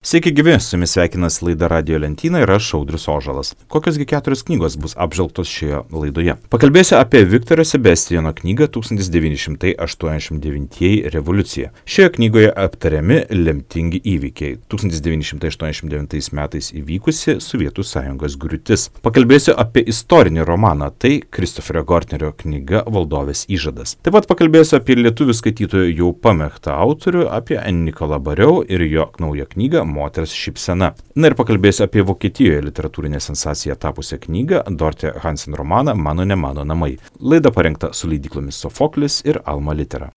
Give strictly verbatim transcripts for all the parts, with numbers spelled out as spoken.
Sveiki gyvi, su jumis sveikinasi laida Radijo lentyna ir aš Audrius Ožalas. Kokios gi keturios knygos bus apžvelgtos šioje laidoje? Pakalbėsiu apie Viktoro Sebastiano knygą tūkstantis devyni šimtai aštuoniasdešimt devintieji revoliucija. Šioje knygoje aptariami lemtingi įvykiai. tūkstantis devyni šimtai aštuoniasdešimt devintais metais įvykusi Sovietų sąjungos griūtis. Pakalbėsiu apie istorinį romaną, tai Kristoferio Gortnerio knyga Valdovės įžadas. Taip pat pakalbėsiu apie lietuvių skaitytojų jau pamėgtą autorių, apie Nikolą Bariau ir jo naują knygą Moters šypsena. Na ir pakalbėsiu apie Vokietijoje literatūrinę sensaciją tapusią knygą Dorte Hansen romaną Mano ne mano namai. Laida parengta su leidyklomis Sofoklis ir Alma Litera.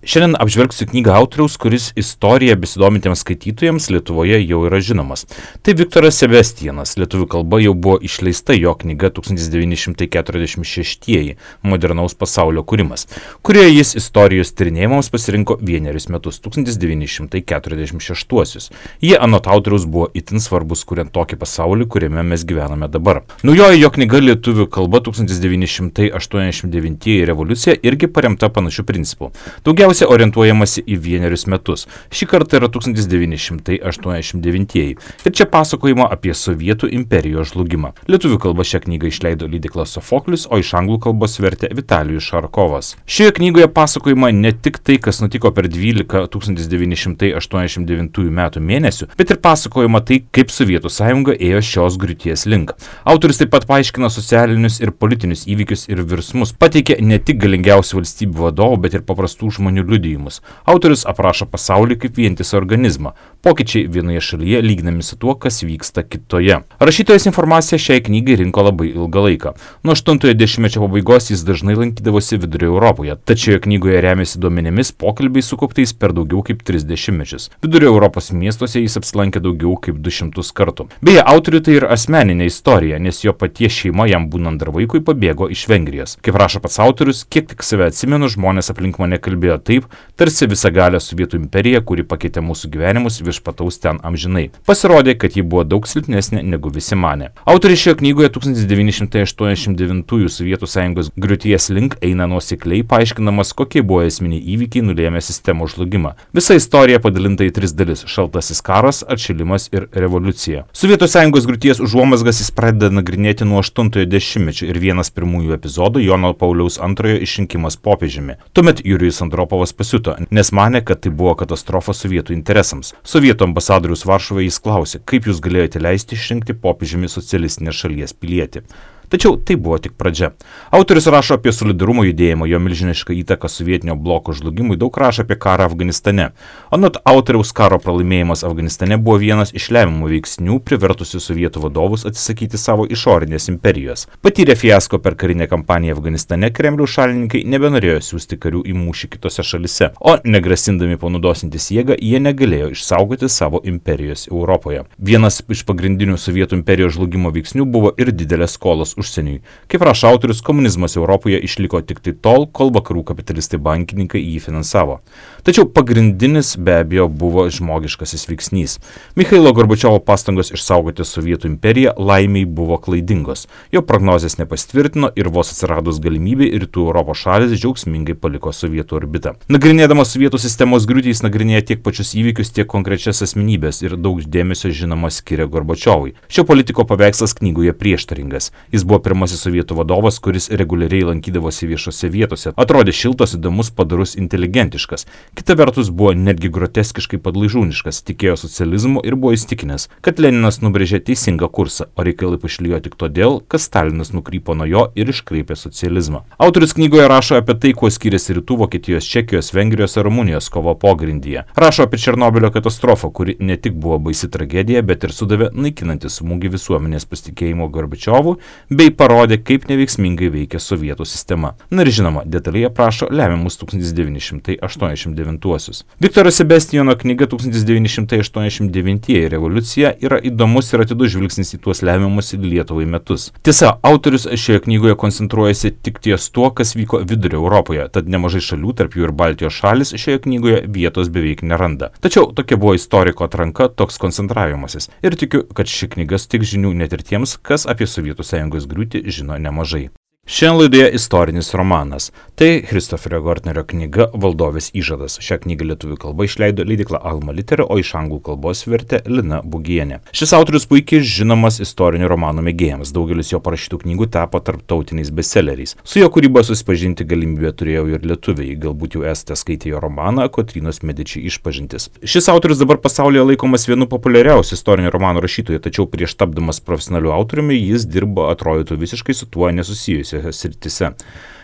Šiandien apžvelgsiu knygą autoriaus, kuris istorija besidomintiems skaitytojams Lietuvoje jau yra žinomas. Tai Viktoras Sebastianas. Lietuvių kalba jau buvo išleista jo knyga tūkstantis devyni šimtai keturiasdešimt šeštieji modernaus pasaulio kūrimas, kurioje jis istorijos tyrinėjimams pasirinko vienerius metus, tūkstantis devyni šimtai keturiasdešimt šeštuosius. Jie anot autoriaus buvo itin svarbus, kuriant tokį pasaulį, kuriame mes gyvename dabar. Naujoji jo knyga lietuvių kalba tūkstantis devyni šimtai aštuoniasdešimt devintieji revoliucija irgi paremta panašių principų. Daugiausiai orientuojamasi į vienerius metus. Šį kartą yra tūkstantis devyni šimtai aštuoniasdešimt devintieji. Ir čia pasakojama apie Sovietų imperijos žlugimą. Lietuvių kalba šią knygą išleido leidykla Sofoklis, o iš anglų kalbos vertė Vitalijus Šarkovas. Šioje knygoje pasakojama ne tik tai, kas nutiko per dvylika tūkstantis devyni šimtai aštuoniasdešimt devintųjų metų mėnesių, bet ir pasakojama tai, kaip Sovietų sąjunga ėjo šios griūties link. Autorius taip pat paaiškina socialinius ir politinius įvykius ir virsmus. Pateikė ne tik galingiausių valstybių vadovų, bet ir paprastų žmonių liudijimus. Autorius aprašo pasaulį kaip vientisą organizmą. Pokyčiai vienoje šalyje lyginami su tuo, kas vyksta kitoje. Rašytojas informaciją šiai knygai rinko labai ilgą laiką. Nuo aštuntojo dešimtmečio pabaigos jis dažnai lankydavosi Vidurio Europoje, tačiau knygoje remiasi duomenimis pokalbiai sukauptais per daugiau kaip tris dešimtmečius. Vidurio Europos miestuose jis apsilankė daugiau kaip du šimtus kartų. Beje, autoriui tai ir asmeninė istorija, nes jo paties šeima jam būnant dar vaikui pabėgo iš Vengrijos. Kaip rašo pats autorius, kiek tik save atsimenu, žmonės aplink mane kalbėjo taip, tarsi visagalė Sovietų imperija, kuri pakeitė mūsų gyvenimus, viešpataus ten amžinai. Pasirodė, kad ji buvo daug silpnesnė negu visi manė. Autorius šioje knygoje tūkstantis devyni šimtai aštuoniasdešimt devintųjų Sovietų sąjungos griūties link eina nuosekliai, paaiškinamas, kokie buvo esminiai įvykiai nulėmė sistemos žlugimą. Visa istorija padalinta į tris dalis - šaltasis karas, atšilimas ir revoliucija. Sovietų sąjungos griūties užuomazgas jis pradeda nagrinėti nuo aštuntojo dešimtmečio ir vienas pirmųjų epizodų Jono Pauliaus antrojo išrinkimas popiežiumi. Tuomet Jurijus Andropovas pasiuto, nes manė, kad tai buvo katastrofa sovietų interesams. Sovietų ambasadorius Varšuvoje jis klausė, kaip jūs galėjote leisti išrinkti popiežiumi socialistinės šalies pilietį. Tačiau tai buvo tik pradžia. Autorius rašo apie solidarumo judėjimą, jo milžinišką įtaką sovietinio bloko žlugimui, daug rašo apie karą Afganistane. Anot autoriaus, karo pralaimėjimas Afganistane buvo vienas iš lemiamų veiksnių, privertusių sovietų vadovus atsisakyti savo išorinės imperijos. Patyrę fiasko per karinę kampaniją Afganistane, Kremliaus šalininkai nebenorėjo siųsti karių į mūšį kitose šalise, o negrasindami panaudosintis jėgą, jie negalėjo išsaugoti savo imperijos Europoje. Vienas iš pagrindinių sovietų imperijos žlugimo veiksnių buvo ir didelės skolos užsieniui. Kaip rašo autorius, komunizmas Europoje išliko tik tai tol, kol vakarų kapitalistai bankininkai jį finansavo. Tačiau pagrindinis be abejo buvo žmogiškasis veiksnys. Michailo Gorbačiovo pastangos išsaugoti Sovietų imperiją laimiai buvo klaidingos. Jo prognozės nepasitvirtino ir vos atsiradus galimybei rytų Europos šalis džiaugsmingai paliko Sovietų orbitą. Nagrinėdamas Sovietų sistemos griūtį jis nagrinėja tiek pačius įvykius, tiek konkrečias asmenybės ir daug dėmesio žinoma skiria Gorbačiovui. Šio politiko paveikslas knygoje prieštaringas. Jis buvo pirmasis sovietų vadovas, kuris reguliariai lankydavosi viešose vietose. Atrodė šiltas, įdomus, padorus, inteligentiškas. Kita vertus buvo netgi groteskiškai padlaižūniškas, tikėjo socializmu ir buvo įstikinęs, kad Leninas nubrėžė teisingą kursą, o reikalai pašlijo tik todėl, kad Stalinas nukrypo nuo jo ir iškreipė socializmą. Autorius knygoje rašo apie tai, kuo skiriasi rytų Vokietijos, Čekijos, Vengrijos ir Rumunijos kova pogrindyje. Rašo apie Černobylio katastrofą, kuri ne tik buvo baisi tragedija, bet ir sudavė naikinantį smūgį visuomenės pasitikėjimo Gorbačiovu, bei parodė, kaip neveiksmingai veikia sovietų sistema. Na ir žinoma, detaliai aprašo lemiamus tūkstantis devyni šimtai aštuoniasdešimt devintuosius. Viktoro Sebastiano knyga tūkstantis devyni šimtai aštuoniasdešimt devintieji revoliucija yra įdomus ir atidus žvilgsnis į tuos lemiamus Lietuvai metus. Tiesa, autorius šioje knygoje koncentruojasi tik ties tuo, kas vyko Vidurio Europoje, tad nemažai šalių, tarp jų ir Baltijos šalis, šioje knygoje vietos beveik neranda. Tačiau tokia buvo istoriko atranka, toks koncentravimasis. Ir tikiu, kad ši knyga suteiks žinių net ir tiems, kas apie Sovietų sąjungos griūtį žino nemažai. Šiandien laidoje istorinis romanas. Tai Christopherio Gortnerio knyga Valdovės įžadas. Šią knygą lietuvių kalba išleido leidykla Alma Litera, o iš anglų kalbos vertė Lina Bugienė. Šis autorius puikiai žinomas istorinių romanų mėgėjams. Daugelis jo parašytų knygų tapo tarptautiniais bestselleriais. Su jo kūryba susipažinti galimybę turėjau ir lietuviai. Galbūt jau esate skaitę jo romaną Kotrynos Mediči išpažintis. Šis autorius dabar pasaulyje laikomas vienu populiariausių istorinių romanų rašytojų, tačiau prieš tapdamas profesionaliu autoriumi jis dirbo atrodytų visiškai su tuo nesusijusiu sritise.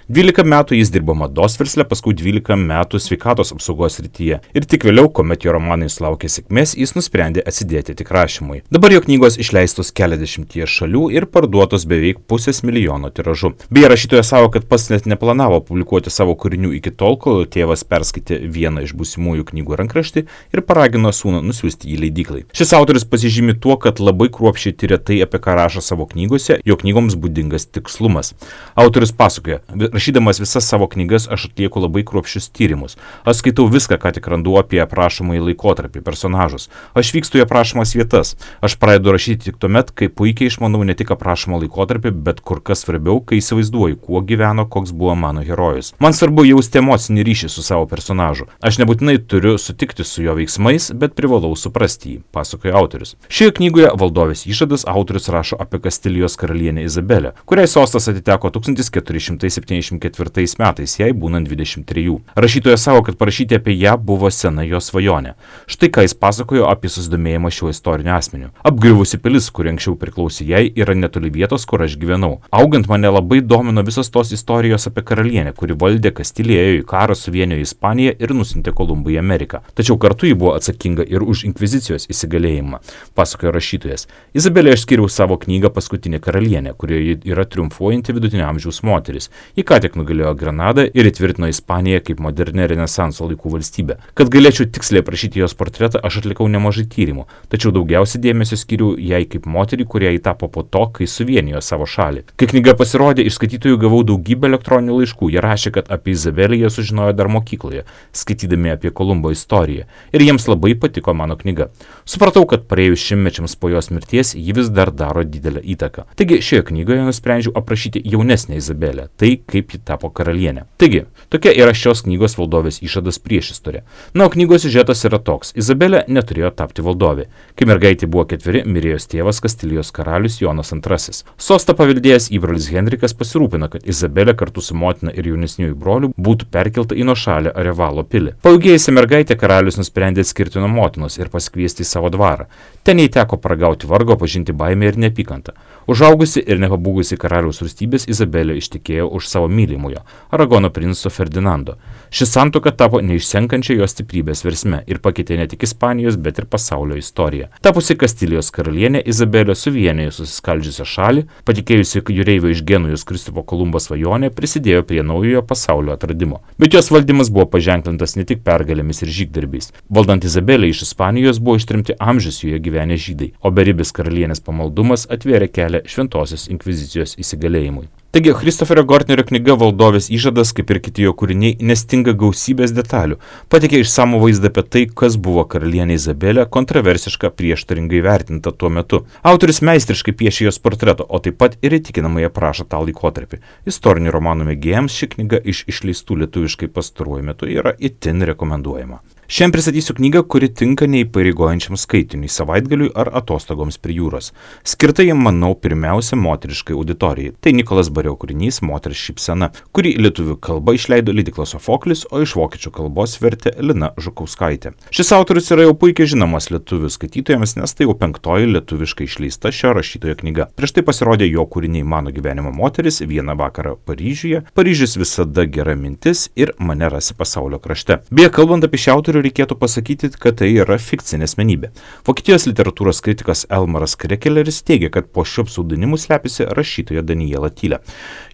dvylika metų jis dirbo mados versle, paskui dvylika metų sveikatos apsaugos srityje. Ir tik vėliau, kuomet jo romanai sulaukė sėkmės, jis nusprendė atsidėti tik rašymui. Dabar jo knygos išleistos keliasdešimtyje šalių ir parduotos beveik pusės milijono tiražu. Beje, rašytojas savo, kad pats net neplanavo publikuoti savo kūrinių iki tol, kol tėvas perskaitė vieną iš būsimųjų knygų rankraštį ir paragino sūnų nusiųsti jį leidyklai. Šis autorius pasižymi tuo, kad labai kruopščiai tyria tai, apie ką rašo savo knygose, jo knygoms būdingas tikslumas. Autorius pasakoja: rašydamas visas savo knygas aš atlieku labai kruopščius tyrimus. Aš skaitau viską, ką tik randu apie aprašomąjį laikotarpį, personažus. Aš vykstu į aprašomas vietas. Aš pradedu rašyti tik tuomet, kai puikiai išmanau ne tik aprašomą laikotarpį, bet kur kas svarbiau, kai įsivaizduoju, kuo gyveno, koks buvo mano herojus. Man svarbu jausti emocinį ryšį su savo personažu. Aš nebūtinai turiu sutikti su jo veiksmais, bet privalau suprasti jį, pasakoja autorius. Šioje knygoje Valdovės įžadas autorius rašo apie Kastilijos karalienę Izabelę, kuriai sostas atiteko tūkstantis keturi šimtai septyniasdešimt ketvirtais metais, jai būnant dvidešimt trejų. Rašytojas savo, kad parašyti apie ją buvo sena jo svajonė. Štai ką jis pasakojo apie susidomėjimą šiuo istoriniu asmeniu. Apgriuvusi pilis, kuri anksčiau priklausė jai, yra netoli vietos, kur aš gyvenau. Augant mane labai domino visos tos istorijos apie karalienę, kuri valdė Kastilijoje, į karą suvienijo Ispaniją ir nusintė Kolumbą į Ameriką. Tačiau kartu ji buvo atsakinga ir už inkvizicijos įsigalėjimą, pasakojo rašytojas. Izabelė aš skiriau savo knygą Paskutinė karalienė, kurioje yra triumfuojanti vidutinio amžiaus moteris. Ji ką tik nugalėjo Granadą ir įtvirtino Ispaniją kaip modernę Renesanso laikų valstybę. Kad galėčiau tiksliai aprašyti jos portretą, aš atlikau nemažai tyrimų, tačiau daugiausiai dėmesio skiriau jai kaip moteriai, kurie įtapo po to, kai suvienijo savo šalį. Kai knyga pasirodė, iš skaitytojų gavau daugybę elektroninių laiškų. Jie rašė, kad apie Izabelę jie sužinojo dar mokykloje, skaitydami apie Kolumbo istoriją. Ir jiems labai patiko mano knyga. Supratau, kad praėjus šimtmečiams po jos mirties, ji vis dar daro didelę įtaką. Taigi šioje knygoje nusprendžiau aprašyti jaunesnę Izabelę, tai kaip ji tapo karalienė. Taigi, tokia yra šios knygos Valdovės įžadas priešistorė. Na, o knygos siužetas yra toks. Izabelė neturėjo tapti valdovė. Kai mergaitė buvo ketveri, mirė jos tėvas Kastilijos karalius Jonas antrasis. Sostą paveldėjęs įbrolis Henrikas pasirūpino, kad Izabelė kartu su motina ir jaunesniųjų broliu būtų perkelta į nuošalę Arevalo pilį. Pailgėjusi mergaitė karalius nusprendė atskirti nuo motinos ir pasikviesti į savo dvarą. Ten jai teko paragauti vargo, pažinti baimę ir neapykantą. Užaugusi ir nepabūgusi karaliaus rūstybės, Izabelė ištekėjo už savo mylimojo, Aragono princo Ferdinando. Ši santuoka tapo neišsenkančia jos stiprybės versme ir pakeitė ne tik Ispanijos, bet ir pasaulio istoriją. Tapusi Kastilijos karalienė, Izabelė suvienijo susiskaldžiusią šalį, patikėjusi jūreivio iš Genujos Kristupo Kolumbo svajonė, prisidėjo prie naujojo pasaulio atradimo. Bet jos valdymas buvo paženklintas ne tik pergalėmis ir žygdarbiais. Valdant Izabelė iš Ispanijos buvo ištrimti amžius joje gyvenę žydai, o beribis karalienės pamaldumas atvėrė kelią šventosios inkvizicijos įsigalėjimui. Taigi, Christopherio Gortnerio knyga Valdovės įžadas, kaip ir kiti jo kūriniai, nestinga gausybės detalių. Pateikia išsamų vaizdą apie tai, kas buvo karalienė Izabelė, kontroversiška, prieštaringai vertinta tuo metu. Autorius meistriškai piešia jos portretą, o taip pat ir įtikinamai aprašo tą laikotarpį. Istorinių romanų mėgėjams ši knyga iš išleistų lietuviškai pastaruoju metu yra itin rekomenduojama. Šiandien pristatysiu knygą, kuri tinka neįpareigojančiam skaitiniui, savaitgaliui ar atostogoms prie jūros. Skirta jam, manau, pirmiausia moteriškai auditorijai. Tai Nikolas Bareu kūrinys Moters šypsena, kurį lietuvių kalba išleido leidykla Sofoklis, o iš vokiečių kalbos vertė Lina Žukauskaitė. Šis autorius yra jau puikiai žinomas lietuvių skaitytojams, nes tai jau penktoji lietuviškai išleista šio rašytojo knyga. Prieš tai pasirodė jo kūriniai Mano gyvenimo moteris, Vieną vakarą Paryžiuje, Paryžius visada gera mintis ir Mane rasi pasaulio krašte. Beje, kalbant apie šį autorių, reikėtų pasakyti, kad tai yra fikcinė asmenybė. Vokietijos literatūros kritikas Elmaras Krekeleris teigia, kad po šiuo pseudonimu slepiasi rašytoja Daniela Tylė.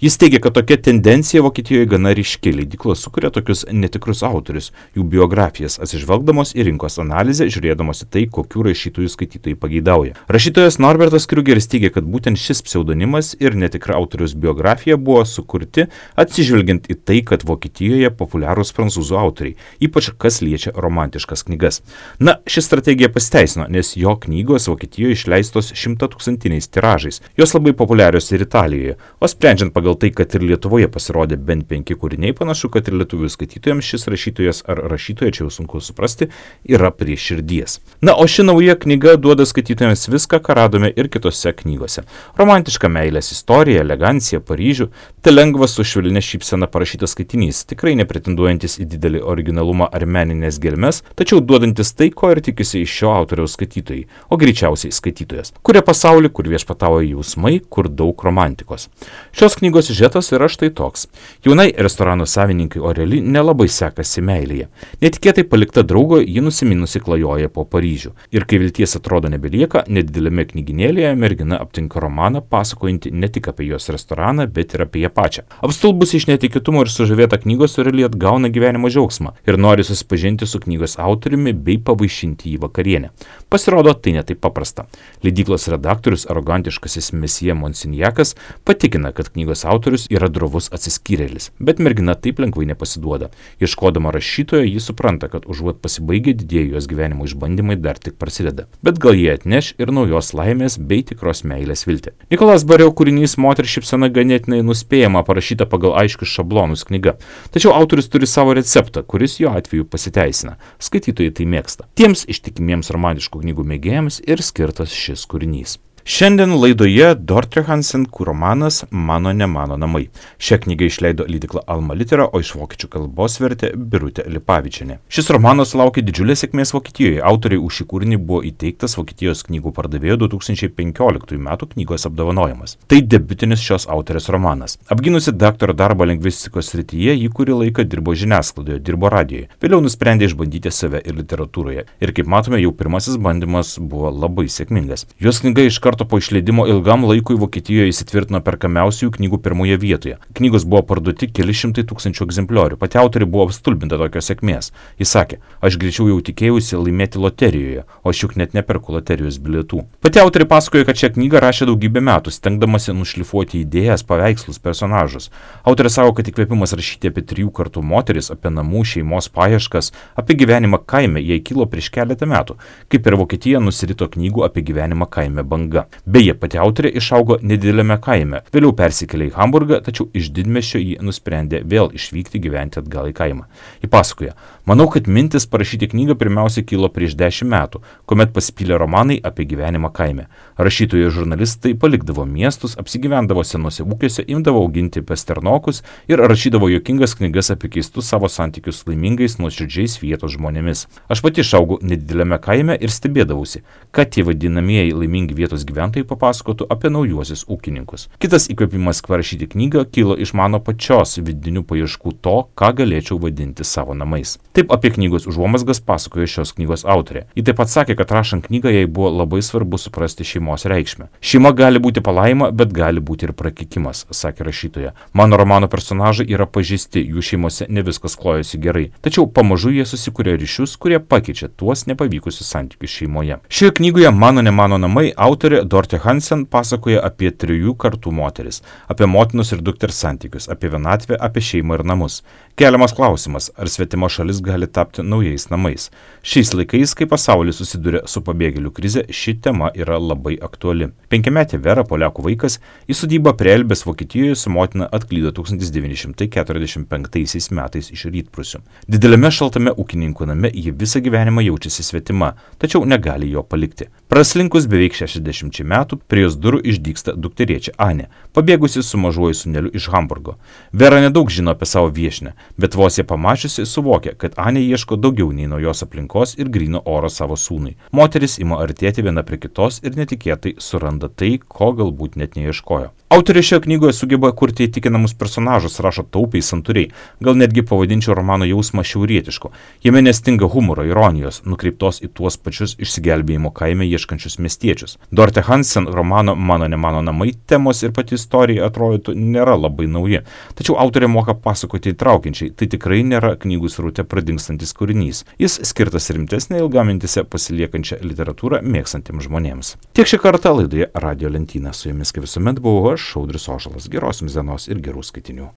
Jis teigia, kad tokia tendencija Vokietijoje gana ryški. Leidyklos sukuria tokius netikrus autorius, jų biografijas, atsižvelgdamos į rinkos analizę, žiūrėdamos į tai, kokių rašytojų skaitytojai pageidauja. Rašytojas Norbertas Kriugeris teigia, kad būtent šis pseudonimas ir netikra autoriaus biografija buvo sukurti atsižvelgiant į tai, kad Vokietijoje populiarūs prancūzų autoriai, ypač kas liečia romantiškas knygas. Na, ši strategija pasiteisino, nes jo knygos Vokietijoje išleistos šimtatūkstantiniais tiražais. Jos labai populiarios ir Italijoje, o sprendžiant pagal tai, kad ir Lietuvoje pasirodė bent penki kūriniai, panašu, kad ir lietuvių skaitytojams šis rašytojas ar rašytoja, čia jau sunku suprasti, yra prie širdies. Na, o ši nauja knyga duoda skaitytojams viską, ką radome ir kitose knygose. Romantiška meilės istorija, elegancija, Paryžių, tai lengvas su švelnia šypsena parašytas skaitinys, tikrai nepretenduojantis į didelį originalumą ar meninės gelmes, tačiau duodantis tai, ko ir tikisi iš šio autoriaus skaitytojai, o greičiausiai skaitytojas, kuria pasaulį, kur viešpatauja jausmai, kur daug romantikos. Šios knygos siužetas yra štai toks. Jaunai restorano savininkai Oreli nelabai sekasi meilėje. Netikėtai palikta draugo, ji nusiminusi klajoja po Paryžių. Ir kai vilties atrodo nebelieka, nedidelėme knyginėlėje mergina aptinka romaną, pasakojantį ne tik apie jos restoraną, bet ir apie ją pačią. Apstulbusi iš netikėtumo ir sužavėta knygos Oreli atgauna gyvenimo džiaugsmą ir nori susipažinti su knygos autoriumi bei pavaišinti jį vakarienę. Pasirodo, tai netaip paprasta. Leidyklos redaktorius, arogantiškasis mesija Monsinjakas, patikina, kad knygos autorius yra drovus atsiskyrėlis, bet mergina taip lengvai nepasiduoda. Ieškodama rašytojo, ji supranta, kad užuot pasibaigę didieji jos gyvenimo išbandymai dar tik prasideda. Bet gal jie atneš ir naujos laimės bei tikros meilės viltį. Nikolas Bareu kūrinys Moters šypsena ganėtinai nuspėjama, parašyta pagal aiškius šablonus knyga. Tačiau autorius turi savo receptą, kuris jo atveju pasiteisina. Skaitytojai tai mėgsta. Tiems ištikimiems romantiškų knygų mėgėjams ir skirtas šis kūrinys. Šiandien laidoje Dorte Hansen romanas Mano ne mano namai. Šią knygą išleido leidykla Alma Litera, o iš vokiečių kalbos vertė Birutė Lipavičienė. Šis romanas sulaukė didžiulės sėkmės Vokietijoje. Autoriai už šį kūrinį buvo įteiktas Vokietijos knygų pardavėjo du tūkstančiai penkioliktųjų metų knygos apdovanojimas. Tai debiutinis šios autorės romanas. Apgynusi daktaro darbą lingvistikos srityje, ji kurį laiką dirbo žiniasklaidoje, dirbo radijoje. Vėliau nusprendė išbandyti save ir literatūroje. Ir kaip matome, jau pirmasis bandymas buvo labai sėkmingas. Jos knyga iš karto po išleidimo ilgam laikui Vokietijoje įsitvirtino perkamiausių knygų pirmoje vietoje. Knygos buvo parduoti keli šimtai tūkstančių egzempliorių. Pati autorė buvo apstulbinta tokios sėkmės. Jis sakė, aš greičiau jau tikėjausi laimėti loterijoje, o aš juk net neperku loterijos bilietų. Pati autorė pasakojo, kad šią knygą rašė daugybę metų, stengdamasi nušlifuoti idėjas, paveikslus, personažus. Autorė sako, kad įkvėpimas rašyti apie trijų kartų moteris, apie namų, šeimos paieškas, apie gyvenimą kaime jai kilo prieš keletą metų, kai per Vokietiją nusirito knygų apie gyvenimą kaime banga. Beje, pati autorė išaugo nedidelėme kaime, vėliau persikėlė į Hamburgą, tačiau iš didmiesčio ji nusprendė vėl išvykti gyventi atgal į kaimą. Ji pasakoja, manau, kad mintis parašyti knygą pirmiausia kilo prieš dešimt metų, kuomet pasipylė romanai apie gyvenimą kaime. Rašytojai ir žurnalistai palikdavo miestus, apsigyvendavo senose ūkiuose, imdavo auginti pasternokus ir rašydavo juokingas knygas apie keistus savo santykius su laimingais, nuoširdžiais vietos žmonėmis. Aš pati išaugau nedidelėme kaime ir stebėdavausi, kad tie vadinamieji laimingi vietos gyventojai gyventojai papasakotų apie naujuosius ūkininkus. Kitas įkvėpimas parašyti knygą kilo iš mano pačios vidinių paieškų to, ką galėčiau vadinti savo namais. Taip apie knygos užuomazgas pasakojo šios knygos autorė. Ji taip pat sakė, kad rašant knygą jai buvo labai svarbu suprasti šeimos reikšmę. Šeima gali būti palaima, bet gali būti ir prakekimas, sakė rašytoja. Mano romano personažai yra pažįsti, jų šeimose ne viskas klojosi gerai. Tačiau pamažu jie susikuria ryšius, kurie pakeičia tuos nepavykusius santykius šeimoje. Šioje knygoje Mano ne mano namai autorė Dorte Hansen pasakoja apie trijų kartų moteris, apie motinos ir dukters santykius, apie vienatvę, apie šeimą ir namus. Keliamas klausimas, ar svetima šalis gali tapti naujais namais. Šiais laikais, kai pasaulis susiduria su pabėgėlių krize, ši tema yra labai aktuali. Penkiametė Vera, poliakų vaikas, į sodybą prie Elbės Vokietijoje su motina atklydo tūkstantis devyni šimtai keturiasdešimt penktaisiais metais iš Rytprūsių. Dideliame šaltame ūkininkų name ji visą gyvenimą jaučiasi svetima, tačiau negali jo palikti. Praslinkus beveik šešiasdešimčiai metų prie jos durų išdygsta dukterėčia Anė, pabėgusi su mažuoju sūneliu iš Hamburgo. Vera nedaug žino apie savo viešnią, bet vos ją pamačiusi suvokia, kad Anė ieško daugiau nei naujos aplinkos ir gryno oro savo sūnui. Moteris ima artėti viena prie kitos ir netikėtai suranda tai, ko galbūt net neieškojo. Autorė šioje knygoje sugeba kurti įtikinamus personažus, rašo taupiai, santūriai, gal netgi pavadinčiau romano jausmą šiaurietišku. Jame nestinga humoro, ironijos, nukreiptos į tuos pačius išsigelbėjimo kaime ieškančius miestiečius. Dorte Hansen romano Mano ne mano namai temos ir pati istorija atrodytų nėra labai nauji, tačiau autorė moka pasakoti įtraukiančiai, tai tikrai nėra knygų sraute pradingstantis kūrinys. Jis skirtas rimtesnė ilgamintise pasiliekančią literatūrą mėgstantiems žmonėms. Tiek šį kartą laidoje Radio Lentyna. Su jumis kaip visuomet buvau aš, Audrius Ožalas. Geros jums dienos ir gerų skaitinių.